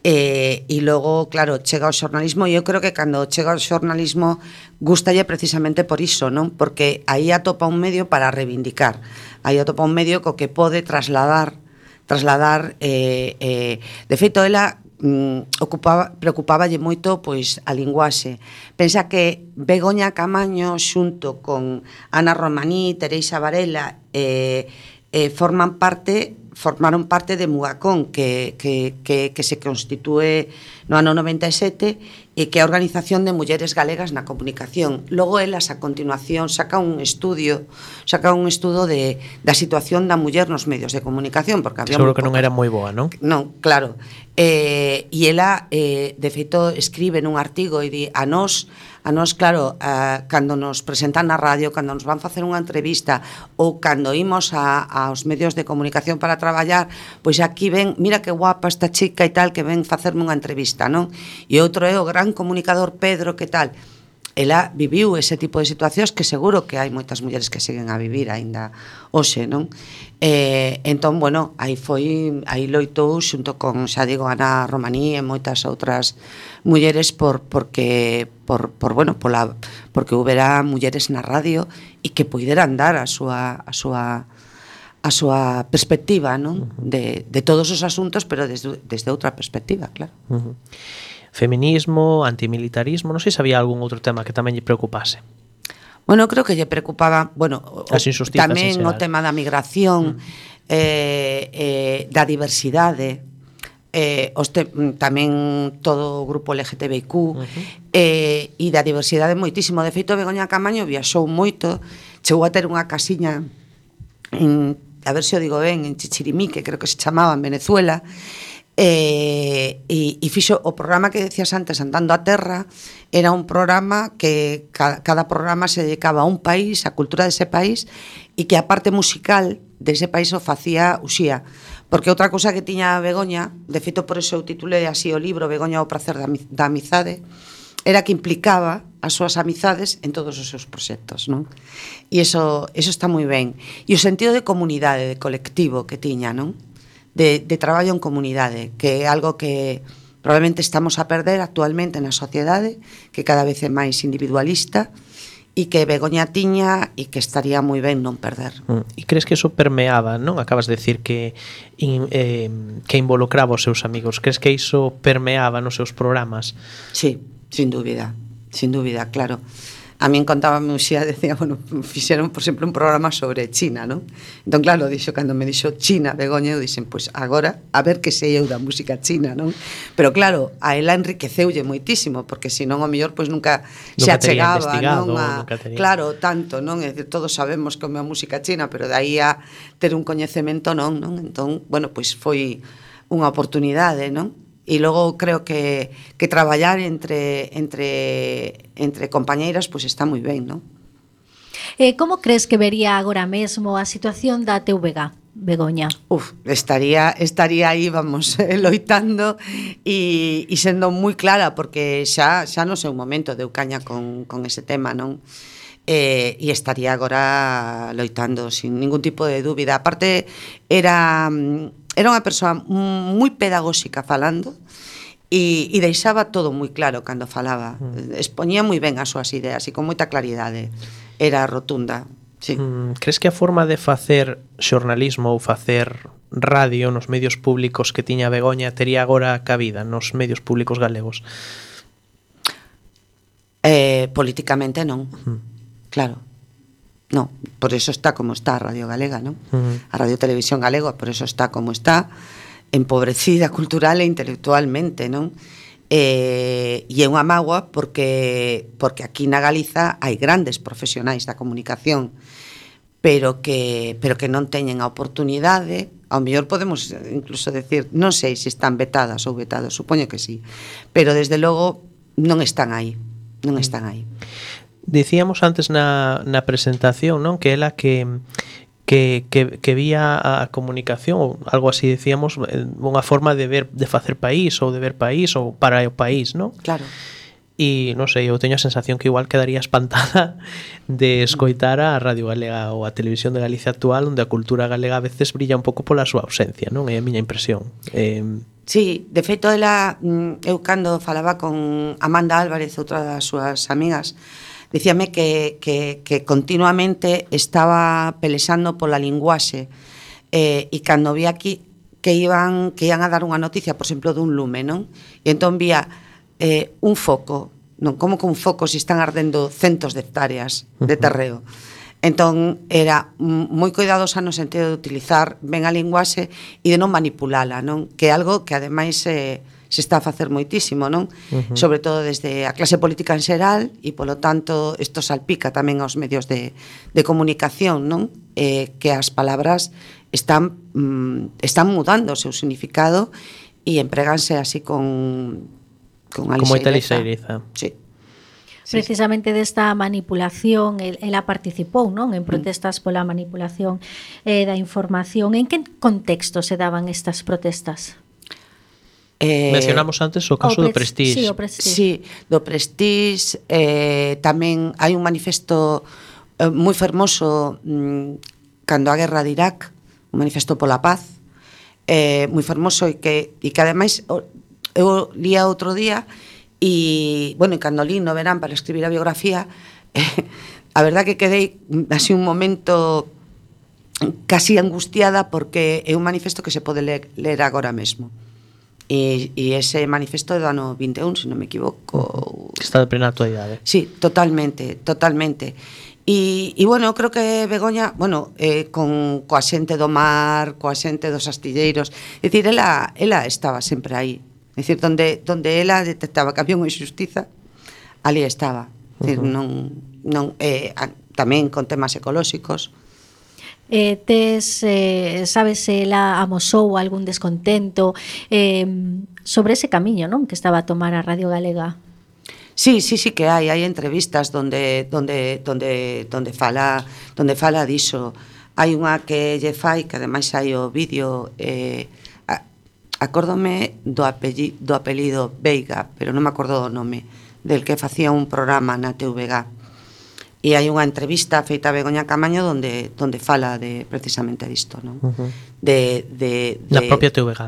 E, e logo, claro, chega ao xornalismo e eu creo que cando chega ao xornalismo gustalle precisamente por iso, non? Porque aí atopa un medio para reivindicar, aí atopa un medio co que pode trasladar, trasladar, eh, eh, de feito, ela mm, ocupaba, preocupáballe moito pois a linguaxe. Pensa que Begoña Camaño xunto con Ana Romaní, Teresa Varela eh, eh, forman parte formaron parte de Mugacón que, que, que, que se constitúe no ano noventa e sete e que é a Organización de Mulleres Galegas na Comunicación. Logo elas a continuación saca un estudio saca un estudo de, da situación da muller nos medios de comunicación porque había seguro que non era moi boa, non? Non, claro. Eh, e ela eh, de feito escribe nun artigo e di a nós A nós, claro, uh, cando nos presentan na radio, cando nos van facer unha entrevista ou cando imos a, aos medios de comunicación para traballar, pois aquí ven, mira que guapa esta chica e tal, que ven facerme unha entrevista, non? E outro é o gran gran comunicador Pedro, que tal, ela viviu ese tipo de situacións que seguro que hai moitas mulleres que seguen a vivir aínda hoxe, non? Eh, entón, bueno, aí foi, aí loitou xunto con, xa digo, Ana Romaní e moitas outras mulleres por porque por por bueno, pola porque houbera mulleres na radio e que puideran dar a súa a súa a súa perspectiva, non? De de todos os asuntos, pero desde desde outra perspectiva, claro. Uh-huh. Feminismo, antimilitarismo, non sei se había algún outro tema que tamén lle preocupase. Bueno, creo que lle preocupaba, bueno, as injusticias, tamén o tema da migración, mm. eh, eh, da diversidade, eh, os te, tamén todo o grupo L G T B I Q, uh-huh. eh, e da diversidade moitísimo. De feito, Begoña Camaño viaxou moito, chegou a ter unha casiña en, a ver se o digo ben, en Chichirimí, que creo que se chamaba, en Venezuela, Eh, e, e fixo o programa que decías antes, Andando a Terra, era un programa que cada, cada programa se dedicaba a un país, a cultura dese país, e que a parte musical dese país o facía Uxía. Porque outra cousa que tiña Begoña, de feito por eso eu titulei así o libro Begoña o prazer da, da amizade, era que implicaba as súas amizades en todos os seus proxectos, non? E iso, iso está moi ben. E o sentido de comunidade, de colectivo que tiña, non? De, de traballo en comunidade, que é algo que probablemente estamos a perder actualmente na sociedade, que cada vez é máis individualista, e que Begoña tiña e que estaría moi ben non perder. E crees que eso permeaba, non? Acabas de decir que in, eh, que involucraba os seus amigos. Crees que iso permeaba nos seus programas? Sí, sin dúbida, sin dúbida, claro. A min contábame un xía, decía, bueno, fixeron, por exemplo, un programa sobre China, non? Entón, claro, dixo, cando me dixo China, Begoña, eu dixen, pois pues, agora, a ver que sei eu da música china, non? Pero claro, a ela enriqueceulle moitísimo, porque senón, ao mellor, pois pues, nunca, nunca se achegaba, non? A, claro, tanto, non? É dicir, todos sabemos como é a música china, pero de aí a ter un coñecemento, non? non? Entón, bueno, pois pues, foi unha oportunidade, non? E logo creo que, que traballar entre, entre, entre compañeiras pois pues está moi ben, non? Eh, como crees que vería agora mesmo a situación da T V G, Begoña? Uf, estaría, estaría aí, vamos, loitando e, e sendo moi clara, porque xa, xa no sei un momento deu caña con, con ese tema, non? Eh, e estaría agora loitando sin ningún tipo de dúbida. Aparte, era... Era unha persoa moi pedagóxica falando e, e deixaba todo moi claro cando falaba. Mm. Expoñía moi ben as súas ideas e con moita claridade. Era rotunda. Sí. Mm, crees que a forma de facer xornalismo ou facer radio nos medios públicos que tiña Begoña tería agora cabida nos medios públicos galegos? Eh, políticamente non. Mm. Claro. No, por eso está como está a Radio Galega, non? Uh-huh. A Radio Televisión Galega, por eso está como está, empobrecida cultural e intelectualmente, non? Eh, e é unha mágoa porque porque aquí na Galiza hai grandes profesionais da comunicación, pero que pero que non teñen a oportunidade. Ao mellor podemos incluso decir, non sei se están vetadas ou vetados, supoño que sí, pero desde logo non están aí, non están aí. Dicíamos antes na, na presentación, non, que ela que que, que, que vía a comunicación ou algo así, decíamos, unha forma de ver, de facer país ou de ver país ou para o país, non? Claro. E non sei, eu teño a sensación que igual quedaría espantada de escoitar a Radio Galega ou a Televisión de Galicia actual, onde a cultura galega a veces brilla un pouco pola súa ausencia, non? É a miña impresión. Eh, Sí, de feito, ela, eu cando falaba con Amanda Álvarez, outra das súas amigas, dicíame que, que, que continuamente estaba pelexando pola linguaxe eh, e cando vi aquí que iban que iban a dar unha noticia, por exemplo, dun lume, non? E entón vía eh, un foco, non? Como que un foco se están ardendo centos de hectáreas de terreo. Entón, era moi cuidadosa no sentido de utilizar ben a linguaxe e de non manipulala, non? Que é algo que, ademais, eh, se está a facer moitísimo, non? Uh-huh. Sobre todo desde a clase política en xeral e, polo tanto, isto salpica tamén aos medios de, de comunicación, non? Eh, que as palabras están, mm, están mudando o seu significado e empreganse así con, con a lixeireza. Con moita lixeireza. Sí. Precisamente desta manipulación, ela participou, non, en protestas pola manipulación eh, da información. En que contexto se daban estas protestas? Eh, Mencionamos antes o caso O do pres- Prestige. sí, o Prestige. Sí, do Prestige, eh, tamén hai un manifesto eh, moi fermoso mm, cando a guerra de Irak, un manifesto pola paz, eh, moi fermoso e que, e que ademais o, eu lía outro día e, bueno, e cando li no verán para escribir a biografía, eh, a verdad que quedei así un momento casi angustiada porque é un manifesto que se pode ler, ler agora mesmo. E, e ese manifesto é do ano vinte e un, se non me equivoco. Que está de plena actualidade. Sí, totalmente, totalmente. E, e bueno, eu creo que Begoña, bueno, eh, con coa xente do mar, coa xente dos astilleiros, é dicir, ela, ela estaba sempre aí. É dicir, donde, donde ela detectaba que había unha injustiza, ali estaba. É dicir, Uh-huh. non, non, eh, a, tamén con temas ecolóxicos. Eh, tes, eh, sabes se ela amosou algún descontento eh, sobre ese camiño, non, que estaba a tomar a Radio Galega? Sí, sí, sí que hai, hai entrevistas donde donde donde donde fala, donde fala diso. Hai unha que lle fai que ademais hai o vídeo eh a, acórdome do apellido, do apelido Veiga, pero non me acordo do nome, del que facía un programa na T V G. E hai unha entrevista feita a Begoña Camaño donde donde fala de precisamente disto, non? Uh-huh. De de de Na propia T V G.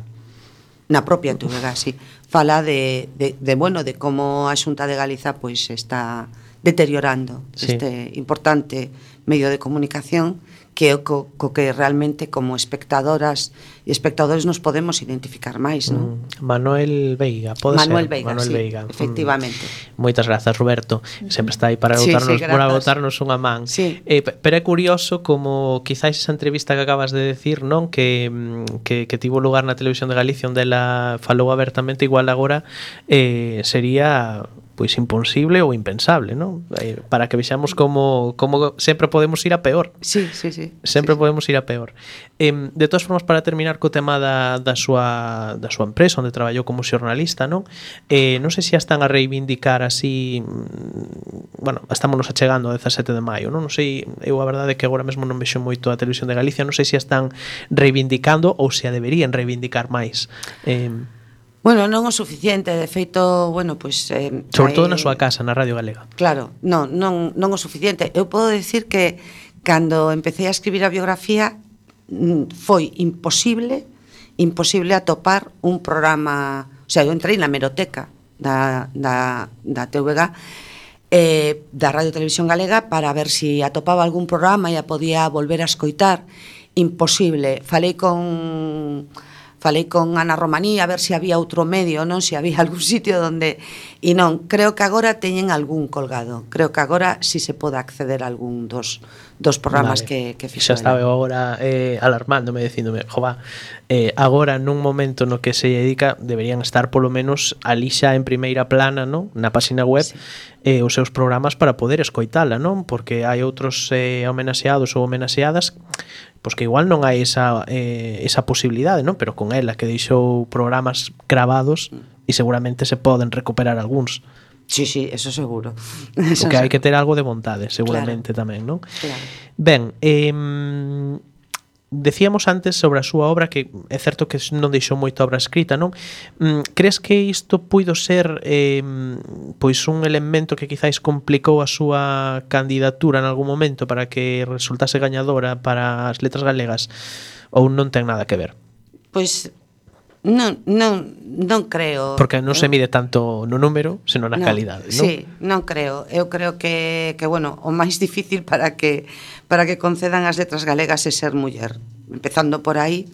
na propia T V G, sí. Fala de, de, de, bueno, de como a Xunta de Galiza pois está deteriorando Sí. este importante medio de comunicación que é o co, co que realmente como espectadoras e espectadores nos podemos identificar máis, non? Mm, Manuel Veiga, pode Manuel ser? Veiga, Manuel sí, Veiga. efectivamente. Mm. Moitas grazas, Roberto. Sempre está aí para Sí, botarnos, sí, para grazas. botarnos unha man. Sí. Eh, pe- pero é curioso como quizáis esa entrevista que acabas de decir, non, que mm, que, que tivo lugar na Televisión de Galicia onde ela falou abertamente, igual agora eh, sería pois imposible ou impensable, non? Eh, para que vexamos como como sempre podemos ir a peor. Sí, sí, sí. Sempre sí, podemos ir a peor. Eh, de todas formas, para terminar co tema da, da, súa, da súa empresa onde traballou como xornalista, non? Eh, non sei se a están a reivindicar así, mm, bueno, estámonos achegando ao dezasete de maio, non? Non sei, eu a verdade é que agora mesmo non vexo moito a Televisión de Galicia, non sei se a están reivindicando ou se a deberían reivindicar máis. Eh, Bueno, non o suficiente, de feito, bueno, pois eh, sobre todo hai- na súa casa, na Radio Galega. Claro, non, non, non o suficiente. Eu podo decir que cando empecé a escribir a biografía mm, foi imposible imposible atopar un programa, o sea, eu entrei na hemeroteca da, da, da T V G eh, da Radio Televisión Galega para ver si atopaba algún programa e a podía volver a escoitar. Imposible. Falei con falei con Ana Romaní a ver se había outro medio, non, se había algún sitio donde, e non, creo que agora teñen algún colgado, creo que agora si se pode acceder a algún dos, dos programas Vale. que, que fixo Xa estaba eu ela. agora eh, alarmándome, dicíndome, jova, eh, agora nun momento no que se dedica deberían estar polo menos ali xa en primeira plana, non? Na páxina web, Sí. eh, os seus programas para poder escoitala, non? Porque hai outros eh, homenaxeados ou homenaxeadas pois que igual non hai esa, eh, esa posibilidade, non? Pero con ela que deixou programas gravados e seguramente se poden recuperar algúns. Sí, sí, eso seguro. O que hai que ter algo de vontade, seguramente claro. tamén, non? Claro. Ben, eh, decíamos antes sobre a súa obra que é certo que non deixou moita obra escrita, non? Mm, crees que isto puido ser eh, pois un elemento que quizáis complicou a súa candidatura en algún momento para que resultase gañadora para as letras galegas ou non ten nada que ver? Pois non, non, non creo. Porque non se mide tanto no número, senón na non, calidade, non? Sí, non creo. Eu creo que, que bueno, o máis difícil para que para que concedan as letras galegas é ser muller, empezando por aí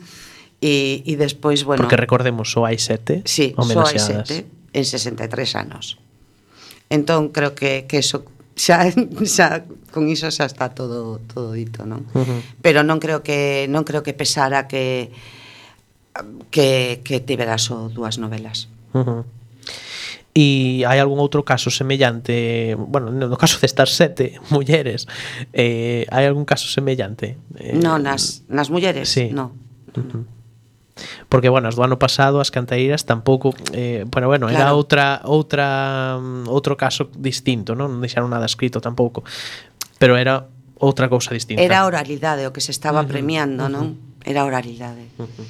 e, e despois, bueno... Porque recordemos, só hai sete sí, só hai homenaxeadas. sete en sesenta e tres anos. Entón, creo que, que eso xa, xa con iso xa está todo todo dito, non? Uh-huh. Pero non creo que non creo que pesara que que que tivera só dúas novelas. Uh-huh. E hai algún outro caso semellante, bueno, no caso destas sete mulleres, eh, hai algún caso semellante? Eh, No, nas nas mulleres, sí. no. Uh-huh. Porque, bueno, as do ano pasado as canteiras tampouco, eh, bueno, bueno, era Claro. outra outra outro caso distinto, non? Non deixaron nada escrito tampouco. Pero era outra cousa distinta. Era a oralidade o que se estaba Uh-huh, premiando, uh-huh. non? Era a oralidade. Uh-huh.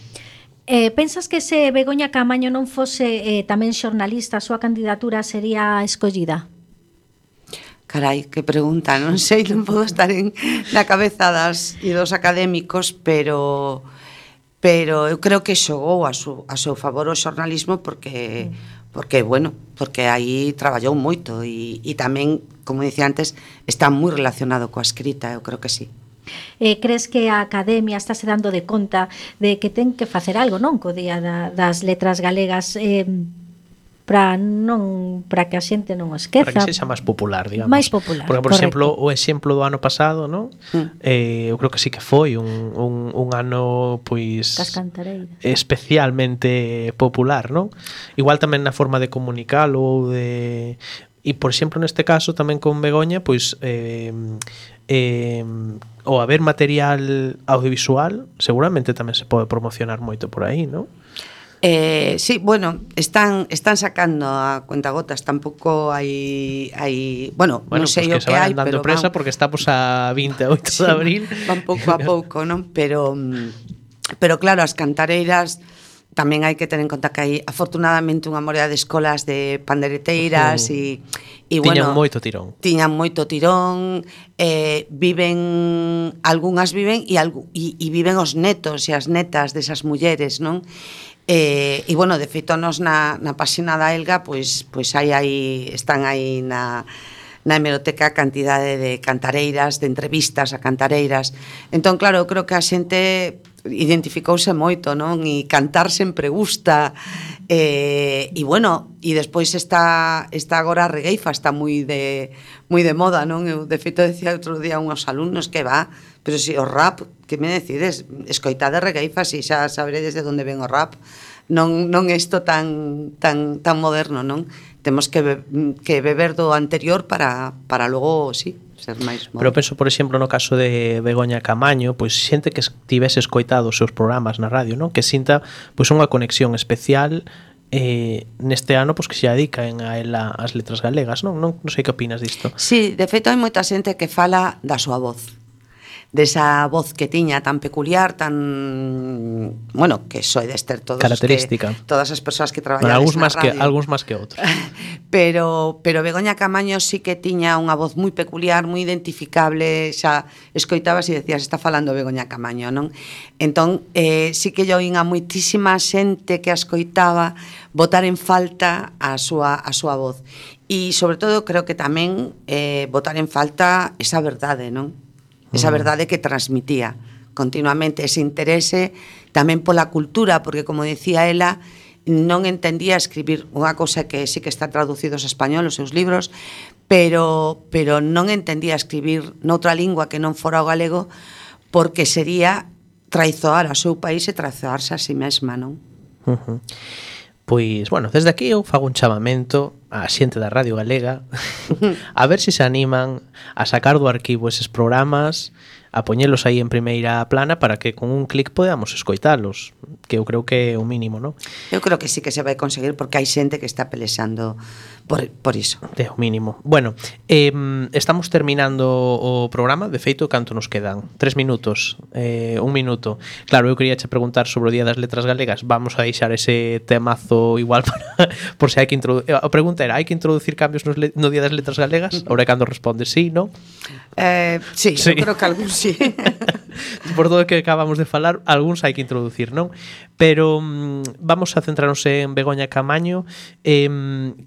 Eh, pensas que se Begoña Caamaño non fose eh, tamén xornalista, a súa candidatura sería escollida? Carai, que pregunta, non sei, non podo estar en na cabeza das e dos académicos, pero pero eu creo que xogou a, su, a seu favor o xornalismo porque porque bueno, porque aí traballou moito e, e tamén, como dicía antes, está moi relacionado coa escrita, eu creo que sí. Eh, crees que a Academia está se dando de conta de que ten que facer algo, non, co Día da, das Letras Galegas, eh, para non para que a xente non o esqueza, para que sexa máis popular, digamos. máis popular, porque, por correcto. exemplo, o exemplo do ano pasado, non? Mm. Eh, eu creo que sí que foi un, un, un ano pois Das cantareiras, especialmente popular, non? Igual tamén na forma de comunicalo ou de... E, por exemplo, neste caso, tamén con Begoña, pois eh, eh, o haber material audiovisual seguramente tamén se pode promocionar moito por aí, non? Eh, sí, bueno, están están sacando a cuentagotas, tampouco hai hai, bueno, Bueno, non sei pues o que se que hai, vayan dando pero presa van, porque estamos a vinte e oito de abril. van pouco a pouco, non? Pero pero claro, as cantareiras tamén hai que ter en conta que hai afortunadamente unha morea de escolas de pandereteiras e e Tiñan bueno, moito tirón. Tiñan moito tirón, eh, viven, algunhas viven e, algu, e, e viven os netos e as netas desas mulleres, non? Eh, e bueno, de feito nos na, na páxina da Elga pois, pois hai aí, están aí na, na hemeroteca cantidade de cantareiras, de entrevistas a cantareiras. Entón, claro, eu creo que a xente identificouse moito, non? E cantar sempre gusta. Eh, e bueno, e despois está está agora a regueifa, está moi de moi de moda, non? Eu de feito decía outro día a uns alumnos que va, pero si o rap, que me decides? Escoitade regueifa, si xa saberedes de onde ven o rap. Non non isto tan tan tan moderno, non? Temos que be, que beber do anterior para para logo, si, ser máis moderno. Pero penso, por exemplo, no caso de Begoña Caamaño, pois xente que tivese escoitado os seus programas na radio, non? Que sinta pois unha conexión especial eh, neste ano pois que se dedican a ela as letras galegas, non? Non, non sei que opinas disto. Sí, de feito hai moita xente que fala da súa voz, desa voz que tiña tan peculiar, tan, bueno, que soides ter todos característica. Que, todas as persoas que Bueno, traballan algúns na máis que radio. algúns máis que outros. pero pero Begoña Caamaño sí que tiña unha voz moi peculiar, moi identificable, xa escoitabas e decías, está falando Begoña Caamaño, non? Entón, eh, sí que yo oín a moitísima xente que a escoitaba botar en falta a súa a súa voz. E sobre todo creo que tamén eh, botar en falta esa verdade, non? Esa verdade que transmitía continuamente, ese interese tamén pola cultura, porque como decía ela, non entendía escribir unha cousa que sí que está traducidos a español os seus libros, pero pero non entendía escribir noutra lingua que non fora o galego, porque sería traizoar ao seu país e traizoarse a si mesma, non? Uh-huh. Pois, bueno, desde aquí eu fago un chamamento á xente da Radio Galega a ver se se animan a sacar do arquivo eses programas, a poñelos aí en primeira plana para que con un clic podamos escoitalos, que eu creo que é o mínimo, non? Eu creo que sí que se vai conseguir porque hai xente que está pelexando por, por iso. É o mínimo. Bueno, eh, estamos terminando o programa, de feito, canto nos quedan? Tres minutos, eh, un minuto. Claro, eu quería che preguntar sobre o Día das Letras Galegas, vamos a deixar ese temazo igual para, por se hai que introducir. A pregunta era, hai que introducir cambios nos le, no Día das Letras Galegas? Ahora cando responde sí, non? Eh, sí, Sí. eu creo que algún sí. Por todo o que acabamos de falar, algúns hai que introducir, non? Pero mm, vamos a centrarnos en Begoña Caamaño. Eh,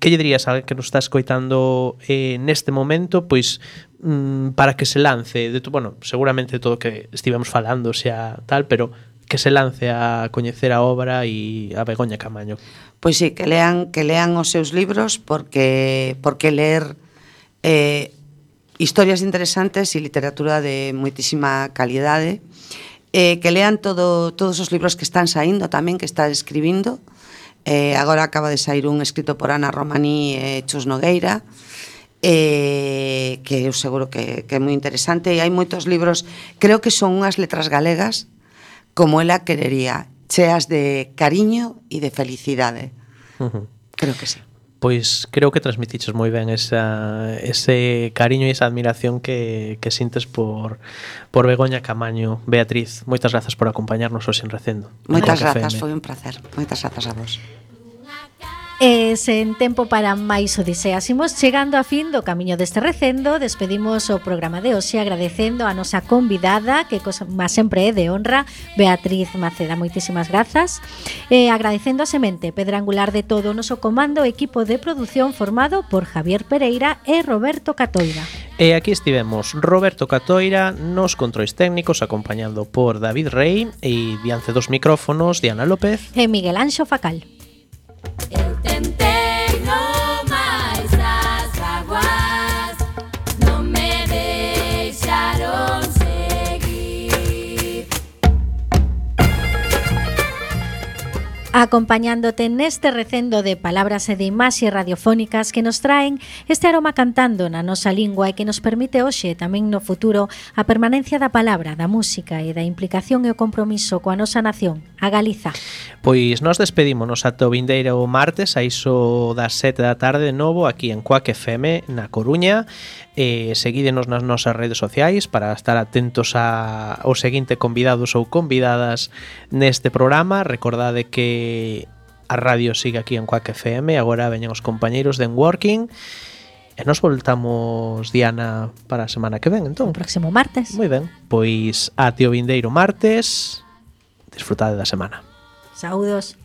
que lle dirías a alguén que nos está escoitando eh, neste momento, pois mm, para que se lance, de to, bueno, seguramente todo o que estivemos falando sea tal, pero que se lance a coñecer a obra e a Begoña Caamaño? Pois sí, que lean que lean os seus libros porque porque ler eh historias interesantes e literatura de moitísima calidade, eh, que lean todo, todos os libros que están saindo tamén, que está escribindo. Eh, agora acaba de sair un escrito por Ana Romaní e Chus Nogueira, eh, que eu seguro que, que é moi interesante, e hai moitos libros, creo que son unhas letras galegas como ela querería, cheas de cariño e de felicidade. Uh-huh. Creo que sí. Pois creo que transmitiches moi ben esa, ese cariño e esa admiración que, que sintes por, por Begoña Camaño. Beatriz, moitas grazas por acompañarnos hoxe en Recendo. Moitas grazas, foi un placer. Moitas grazas a vos. E sen tempo para máis odiseas, imos chegando a fin do camiño deste recendo. Despedimos o programa de hoxe agradecendo a nosa convidada, que como sempre é de honra, Beatriz Maceda. Moitísimas grazas. E agradecendo a semente, pedra angular de todo o noso comando e equipo de produción formado por Javier Pereira e Roberto Catoira. E aquí estivemos Roberto Catoira nos controis técnicos, acompañando por David Rey, e diante dos micrófonos Diana López e Miguel Anxo Facal. Eu tentei no máis as aguas, non me deixaron seguir. Acompañándote neste recendo de palabras e de imaxes radiofónicas que nos traen este aroma cantando na nosa lingua e que nos permite hoxe tamén no futuro a permanencia da palabra, da música e da implicación e o compromiso coa nosa nación, a Galiza. Pois nos despedímonos ata o vindeiro martes a iso das sete da tarde de novo aquí en Cuac F M na Coruña. E seguídenos nas nosas redes sociais para estar atentos a, ao seguinte convidados ou convidadas neste programa. Recordade que a radio sigue aquí en Cuac F M. Agora veñen os compañeiros de Enworking. E nos voltamos, Diana, para a semana que ven, entón. O próximo martes. Moi ben, pois ate o vindeiro martes. Disfrutade da semana. Saúdos.